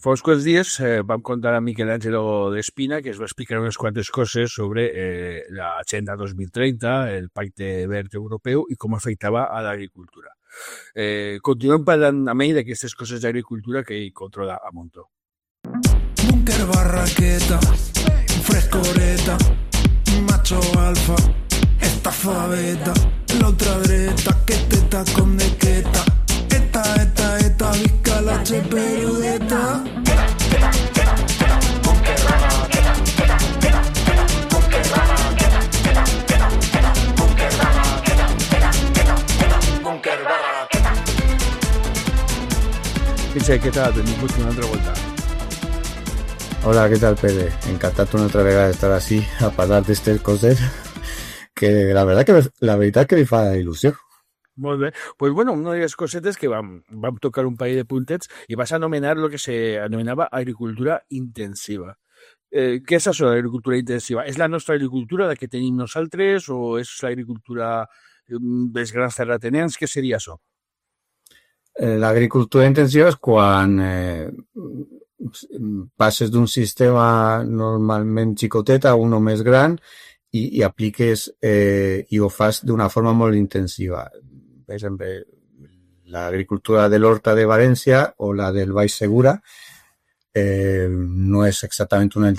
Fa uns quants dies vam contar a Michelangelo d'Espina que es va explicar unes quantes coses sobre l'Agenda 2030, el Pacte Verd Europeu i com afectava a l'agricultura. Continuem parlant amb ell d'aquestes coses d'agricultura que ell controla a muntó. Búnker barraqueta, frescoreta, macho alfa, estafaveta, la ultradreta, que teta con dequeta, esta, visca la cheperudeta. Pitxer, què tal? Benvingut una altra volta. Hola, què tal, Pere? Encantat una altra vegada d'estar així a parlar d'estes coses que la veritat que li fa il·lusió. Molt bé. Pues bueno, una de les cosetes que vam tocar un parell de puntets i vas anomenar el que s'anomenava agricultura intensiva. Què és això d'agricultura intensiva? És la nostra agricultura, la que tenim nosaltres, o és l'agricultura dels grans terratinents? Què seria això? L'agricultura intensiva és quan passes d'un sistema normalment xicotet a uno més gran i apliques i ho fas d'una forma molt intensiva. Per exemple, l'agricultura de l'Horta de València o la del Baix Segura no és exactament una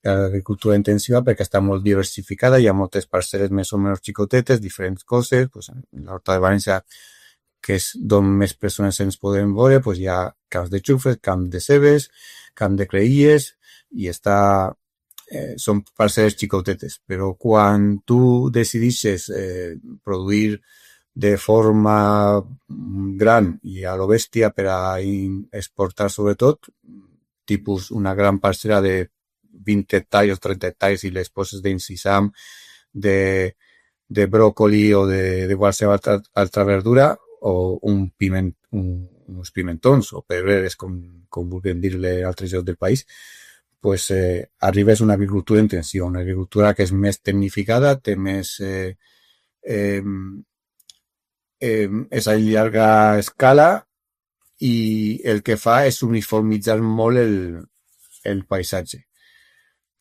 agricultura intensiva perquè està molt diversificada, hi ha moltes parcel·les més o menys xicotetes, diferents coses. Pues, l'Horta de València, que és d'on més persones ens podem veure, pues hi ha camps de xufres, camp de cebes, camp de creïlles, i són parcel·les xicotetes. Però quan tu decidixes produir de forma gran i a lo bèstia per a exportar sobretot, tipus una gran parcel·la de 20 hectàrees o 30 hectàrees i les poses d'incisam, de bròcoli o de qualsevol altra verdura, o uns pimentons o pedreres, com vulguem dir-li a altres llocs del país, pues arribes a una agricultura intensiva, una agricultura que és més tecnificada, té més és a llarga escala i el que fa és uniformitzar molt el paisatge.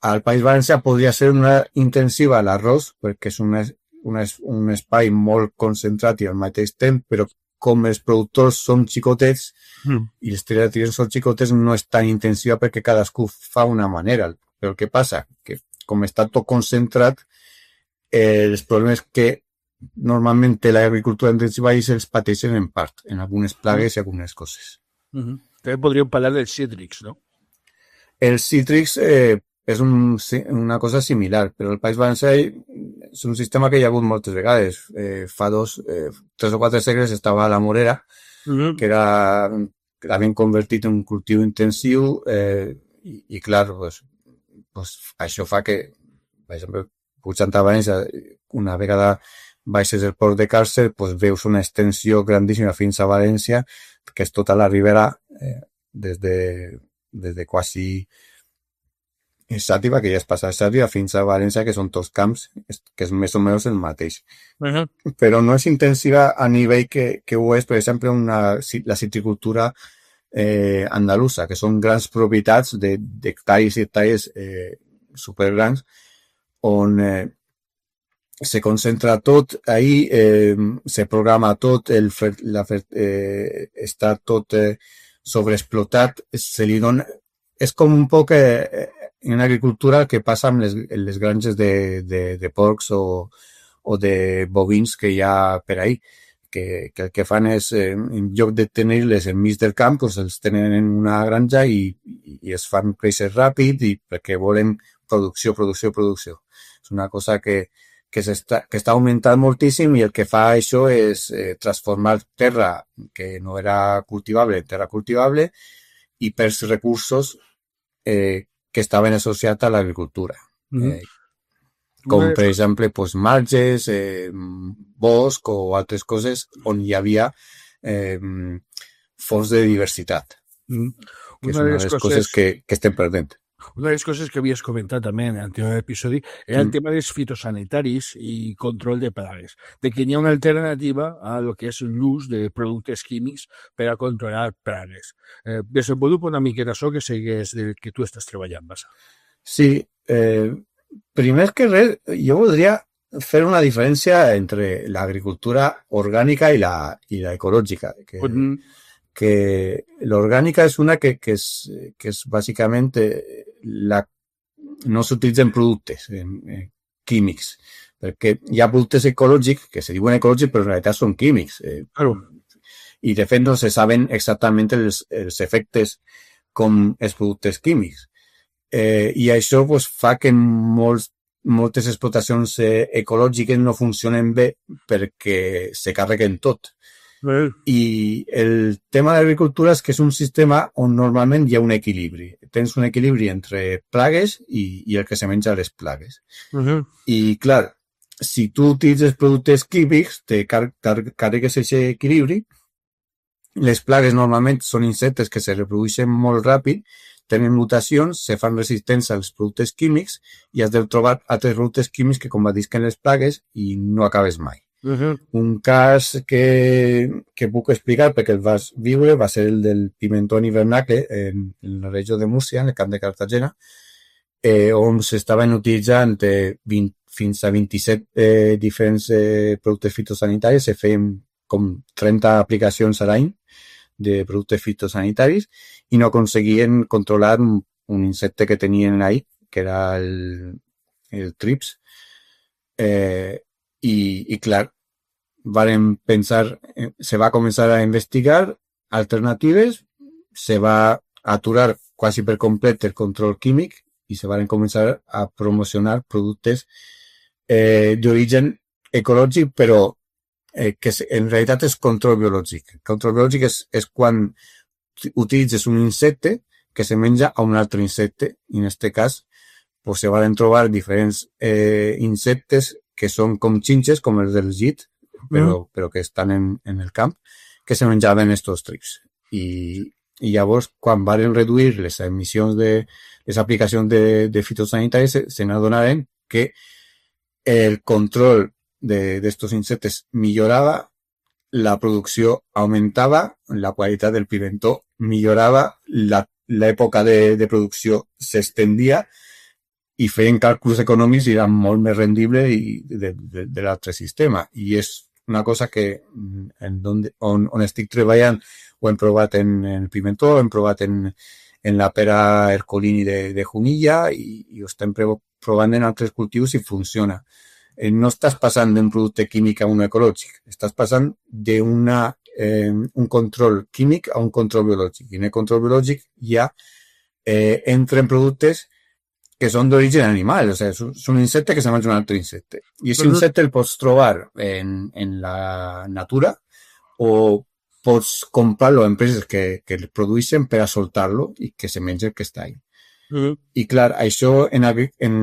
Al País Valencià podria ser una intensiva l'arròs, perquè és un espai molt concentrat i al mateix temps, però com els productors són xicotets i les terratinents són xicotets, no és tan intensiva perquè cadascú fa una manera. Però el que passa? Que com està tot concentrat, els problemes que normalment té l'agricultura intensiva i se'ls pateixen en part, en algunes plagues i algunes coses. També podríem parlar dels cítrics, no? Els cítrics és una cosa similar, però el País Valencià és un sistema que hi ha hagut moltes vegades. Fa 3 o 4 segles estava a la Morera, que l'havien convertit en un cultiu intensiu i clar, pues, això fa que, per exemple, pujant a València, una vegada baixes el port de Càrcer, pues, veus una extensió grandíssima fins a València, que és tota la ribera des de quasi Xàtiva, que ja és passar Xàtiva, fins a València, que són tots camps, que és més o menys el mateix. Però no és intensiva a nivell que ho és, per exemple, la citricultura andalusa, que són grans propietats d'hectàrees i hectàrees supergrans, on se concentra tot ahí, se programa tot, està tot sobreexplotat, se li dona... És com un poc en agricultura que passa amb les granges de porcs o de bovins que hi ha per ahí, que el que fan és, en lloc de tenir-les enmig del camp, doncs els tenen en una granja i es fan créixer ràpid i perquè volen producció. És una cosa que està augmentant moltíssim i el que fa això és transformar terra que no era cultivable en terra cultivable i pels recursos que estaven associats a l'agricultura. Com, per exemple, pues, marges, bosc o altres coses on hi havia fons de diversitat, que és una de les coses que estem perdent. Una de les coses que havies comentat també en l'anterior episodi era el tema dels fitosanitaris i control de plagues, de que hi ha una alternativa a lo que és l'ús de productes químics per a controlar plagues. Desenvolupa una miqueta això que segueix del que tu estàs treballant, Bassa. Sí, primer que res, jo voldria fer una diferència entre l'agricultura orgànica i la ecològica, que l'orgànica és una que és bàsicament no s'utilitzen productes químics, perquè hi ha productes ecològics que se diuen ecològics però en realitat són químics. Claro. I de fet no se saben exactament els efectes com els productes químics. I això pues, fa que moltes explotacions ecològiques no funcionen bé perquè se carreguen tot. I el tema de l'agricultura és que és un sistema on normalment hi ha un equilibri. Tens un equilibri entre plagues i el que se menja les plagues. I clar, si tu utilitzes productes químics, te carregues aquest equilibri. Les plagues normalment són insectes que se reprodueixen molt ràpid, tenen mutacions, se fan resistents als productes químics i has de trobar altres productes químics que combatisquen les plagues i no acabes mai. Un cas que puc explicar perquè el vas viure va ser el del pimentó hivernacle en la regió de Múrcia, en el camp de Cartagena, on s'estaven utilitzant fins a 27 diferents productes fitosanitaris, se feien com 30 aplicacions a l'any de productes fitosanitaris i no aconseguien controlar un insecte que tenien ahí, que era el trips. I clar, varen pensar, se va començar a investigar alternatives, se va aturar quasi per complet el control químic i se van començar a promocionar productes d'origen ecològic, però que en realitat és control biològic. Control biològic és quan utilitzes un insecte que se menja a un altre insecte, i en aquest cas pues, se van trobar diferents insectes que són com xinxes, com els del llit, però que estan en el camp, que se menjaven estos trips. I llavors, quan van reduir les emissions les aplicacions de fitosanitaris, se n'adonaven que el control d'estos insectes millorava, la producció augmentava, la qualitat del pimentó millorava, l'època de producció s'estendia i feien càlculs econòmics i era molt més rendible de l'altre sistema. I és una cosa que on estic treballant ho hem provat en el pimentó, ho hem provat en la pera Ercolini de Junilla i ho estem provant en altres cultius i funciona. No estàs passant d'un producte químic a un ecològic, estàs passant d'un control químic a un control biològic. I en el control biològic ja entren productes que són d'origen animal, o sigui, és un insecte que se menja un altre insecte. I aquest insecte el pots trobar en la natura o pots comprar-lo a empreses que el produeixen per a soltar-lo i que se menja el que està ahí. I clar, això en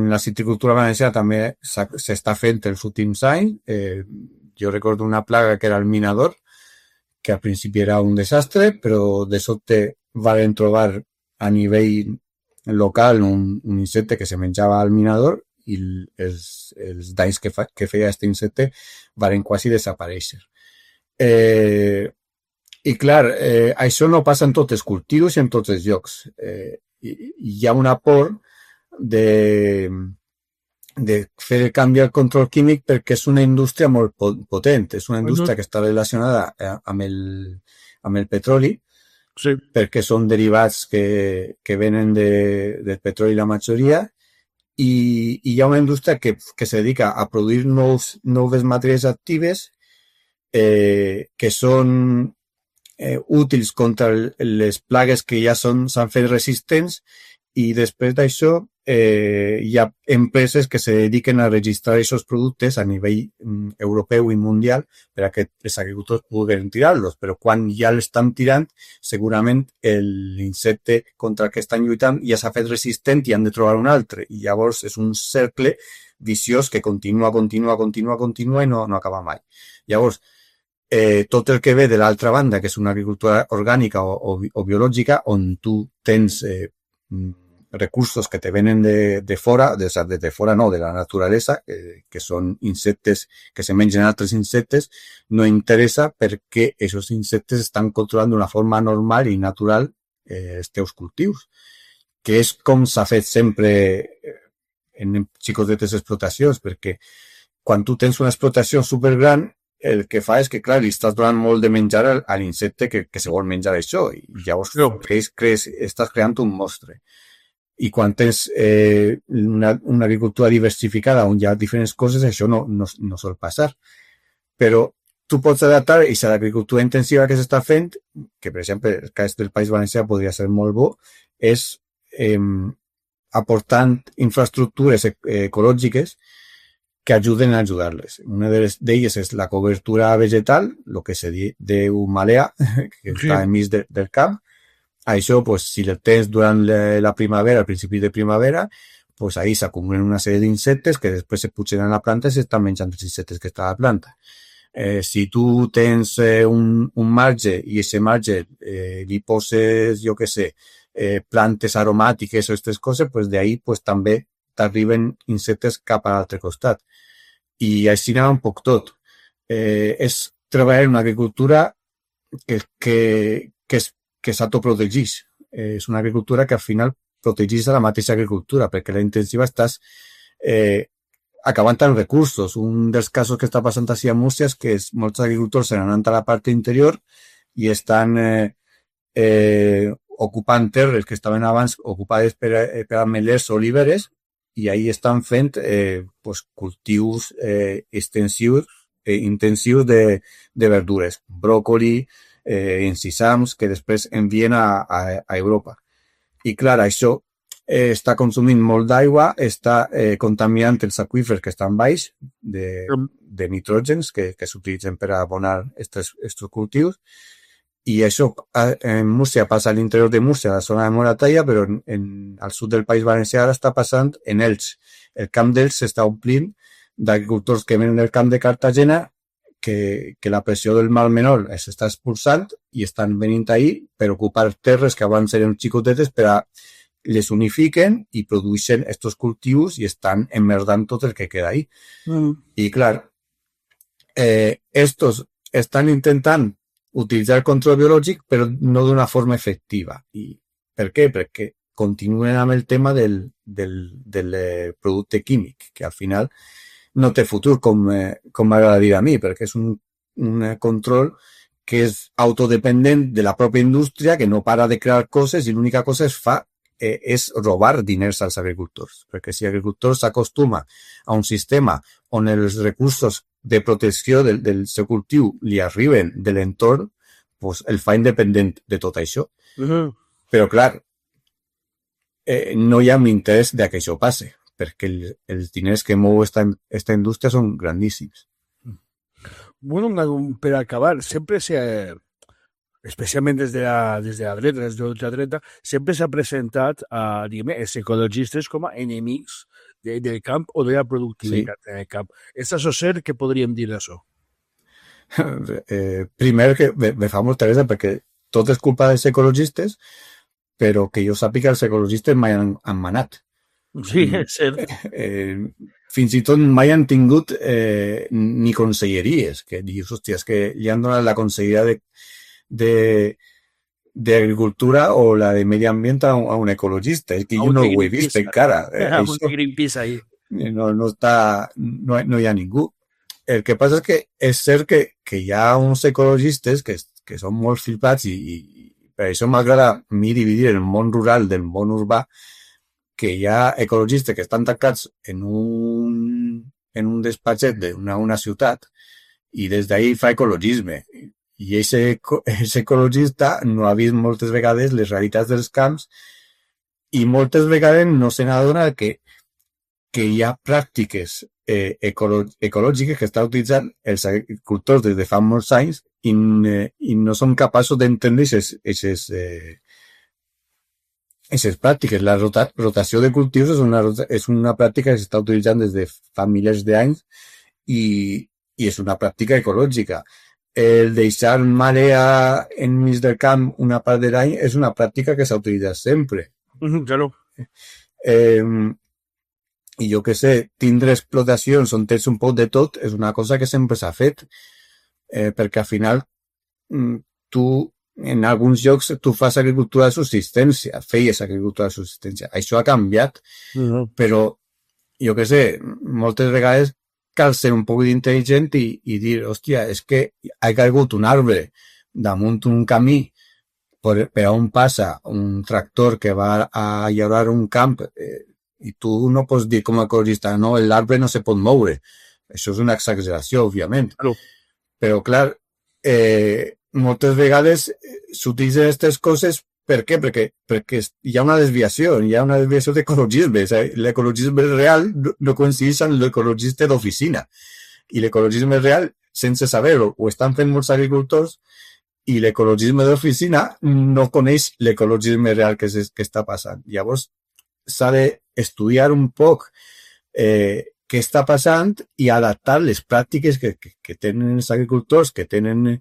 la citricultura valenciana també s'està fent els últims anys. Jo recordo una plaga que era el minador, que al principi era un desastre, però de sobte van trobar a nivell local un insecte que se menjava al minador i els danys que feia aquest insecte van quasi desaparèixer. I clar, això no passa en tots els cultius i en tots els llocs. Hi ha un aport de fer el canvi al control químic perquè és una indústria molt potent, és una indústria que està relacionada amb el petroli, sí, perquè són derivats que venen del petroli la majoria, i hi ha una indústria que se dedica a produir noves matèries actives que són útils contra les plagues que ja s'han fet resistents, i després d'això hi ha empreses que se dediquen a registrar aquests productes a nivell europeu i mundial per a que els agricultors puguin tirar-los, però quan ja l'estan tirant segurament l'insecte contra el que estan lluitant ja s'ha fet resistent i han de trobar un altre, i llavors és un cercle viciós que continua i no acaba mai. Llavors, tot el que ve de l'altra banda, que és una agricultura orgànica o biològica, on tu tens recursos que te vienen de fora, de fora no, de la naturalesa, que són insectes que se mengen altres insectes, no interessa perquè aquests insectes estan controlant d'una forma normal i natural els teus cultius, que és com s'ha fet sempre en xicotetes explotacions, perquè quan tu tens una explotació supergran, el que fa és que, clar, li estàs donant molt de menjar a l'insecte que se vol menjar això, i llavors estàs creant un monstre. I quan tens una agricultura diversificada on hi ha diferents coses, això no sol passar. Però tu pots adaptar a l'agricultura intensiva que s'està fent, que per exemple el cas del País Valencià podria ser molt bo, és aportant infraestructures ecològiques que ajuden a ajudar-les. Una d'elles és la cobertura vegetal, el que se diu malea, que està enmig del camp. Això, pues, si el tens durant la primavera, al principi de primavera, pues ahí s'acumulen una sèrie d'insectes que després se pugen a la planta i s'estan menjant els insectes que està a la planta. Si tu tens un marge i aquest marge li poses, jo què sé, plantes aromàtiques o aquestes coses, pues d'ahí pues, també t'arriben insectes cap a l'altre costat. I així anava un poc tot. És treballar en una agricultura que s'autoprotegeix. És una agricultura que al final protegeix a la mateixa agricultura, perquè la intensiva estàs acabant amb recursos. Un dels casos que està passant així a Múrcia és que molts agricultors se n'han anat a la part interior i estan ocupant terres que estaven abans ocupades per ametllers o oliveres i ahí estan fent pues, cultius intensius de verdures, bròcoli, encisams, que després envien a Europa. I clar, això està consumint molt d'aigua, està contaminant els aqüífers que estan baix de nitrògens que s'utilitzen per abonar aquests cultius. I això en Múrcia passa a l'interior de Múrcia, a la zona de Moratalla, però al sud del País Valencià ara està passant en Elx. El camp d'Elx s'està omplint d'agricultors que venen del camp de Cartagena que la pressió del mar menor s'està expulsant i estan venint ahí per ocupar terres que abans eren xicotetes per a les unifiquen i produeixen estos cultius i estan emmerdant tot el que queda ahí. I clar, estos estan intentant utilitzar el control biològic però no d'una forma efectiva. I per què? Perquè continuen amb el tema del producte químic, que al final no té futur com m'agradaria a mi, perquè és un control que és autodependent de la pròpia indústria, que no para de crear coses i l'única cosa és robar diners als agricultors. Perquè si l'agricultor s'acostuma a un sistema on els recursos de protecció del seu cultiu li arriben de l'entorn, pues el fa independent de tot això. Però, clar, no hi ha interès de que això passe, perquè els diners que mou esta indústria són grandíssims. Bueno, per acabar, sempre especialment des de la dreta, des de l'ultradreta, sempre s'ha presentat els ecologistes com a enemics del camp o de la productivitat en el camp. És això cert? Què podríem dir d'això? Primer, que me fa molta gràcia perquè tot és culpa dels ecologistes, però que jo sàpiga els ecologistes mai han manat. Sí, és cert. Fins i tot mai han tingut ni conselleries, que dius, hòstia, és que li han donat la conselleria d'agricultura o la de medi ambient a un ecologista. És que jo no ho he vist encara. Greenpeace ahí. No hi ha ningú. El que passa és que és cert que hi ha uns ecologistes que són molt flipats i per això m'agrada a mi dividir el món rural del món urbà, que hi ha ecologistes que estan tancats en un despatxet d'una ciutat i des d'ahí fa ecologisme. I aquest ecologista no ha vist moltes vegades les realitats dels camps i moltes vegades no se n'adona que hi ha pràctiques ecològiques que estan utilitzant els agricultors des de fa molts anys i no són capaços d'entendre aquestes pràctiques. La rotació de cultius és una pràctica que s'està utilitzant des de fa milers d'anys i és una pràctica ecològica. El deixar marea enmig del camp una part de l'any és una pràctica que s'ha utilitzat sempre. Claro. I jo què sé, tindre explotacions on tens un poc de tot és una cosa que sempre s'ha fet, perquè al final tu, en alguns llocs, tu fas agricultura de subsistència, feies agricultura de subsistència. Això ha canviat, però jo què sé, moltes vegades cal ser un poc intel·ligent i dir, hòstia, és que ha caigut un arbre damunt un camí per on passa un tractor que va a llaurar un camp i tu no pots dir com a ecologista, no, l'arbre no se pot moure. Això és una exageració, òbviament. Claro. Però, clar, moltes vegades s'utilitzen aquestes coses. Per què? Perquè hi ha una desviació d'ecologisme. L'ecologisme real no coincideix amb l'ecologista d'oficina. I l'ecologisme real, sense saber-ho, ho estan fent molts agricultors i l'ecologisme d'oficina no coneix l'ecologisme real que està passant. Llavors, s'ha d'estudiar un poc què està passant i adaptar les pràctiques que tenen els agricultors, que tenen...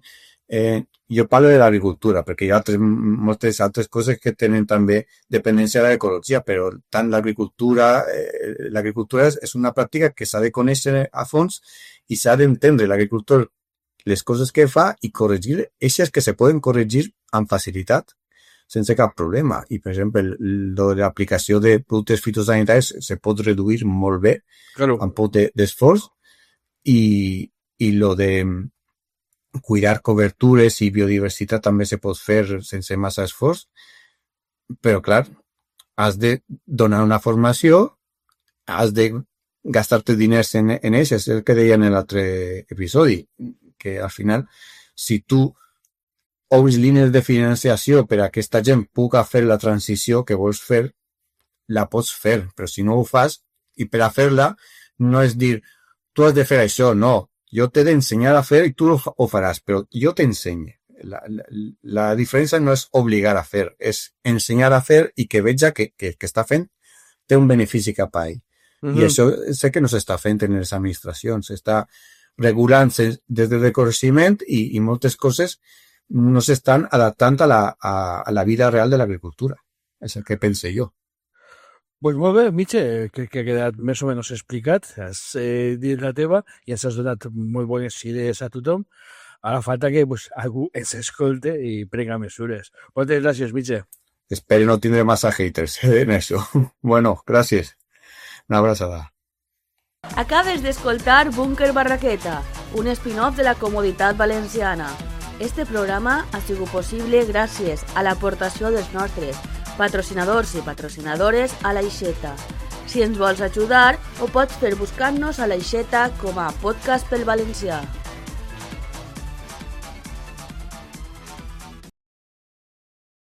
jo parlo de l'agricultura, perquè hi ha moltes altres coses que tenen també dependència de l'ecologia, però tant l'agricultura és una pràctica que s'ha de conèixer a fons i s'ha d'entendre l'agricultor les coses que fa i corregir eixes que se poden corregir amb facilitat, sense cap problema. I, per exemple, l'aplicació de productes fitosanitaris se pot reduir molt bé, Claro. amb poc d'esforç, i lo de cuidar cobertures i biodiversitat també se pot fer sense massa esforç, però, clar, has de donar una formació, has de gastar-te diners en això, és el que deia en l'altre episodi, que al final, si tu obres línies de financiació per a que aquesta gent pugui fer la transició que vols fer, la pots fer, però si no ho fas, i per a fer-la, no és dir, tu has de fer això, no, jo t'he d'ensenyar a fer i tu ho faràs, però jo t'ensenyo. La diferència no és obligar a fer, és ensenyar a fer i que veja que està fent té un benefici cap a ell. I això sé que no s'està fent en les administracions, s'està regulant-se des del reconeixement i moltes coses no s'estan adaptant a la vida real de l'agricultura. És el que pense jo. Pues molt bé, Mitxe, crec que ha quedat més o menys explicat. Has dit la teva i ens has donat molt bones idees a tothom. Ara falta que algú ens escolte i prenga mesures. Moltes gràcies, Mitxe. Espero no tindre massa haters en això. Bueno, gràcies. Una abraçada. Acabes d'escoltar Búnquer Barraqueta, un spin-off de la Comoditat Valenciana. Este programa ha sigut possible gràcies a l'aportació dels nostres patrocinadors i patrocinadores a l'Aixeta. Si ens vols ajudar, ho pots fer buscant-nos a l'Aixeta com a Podcast pel Valencià.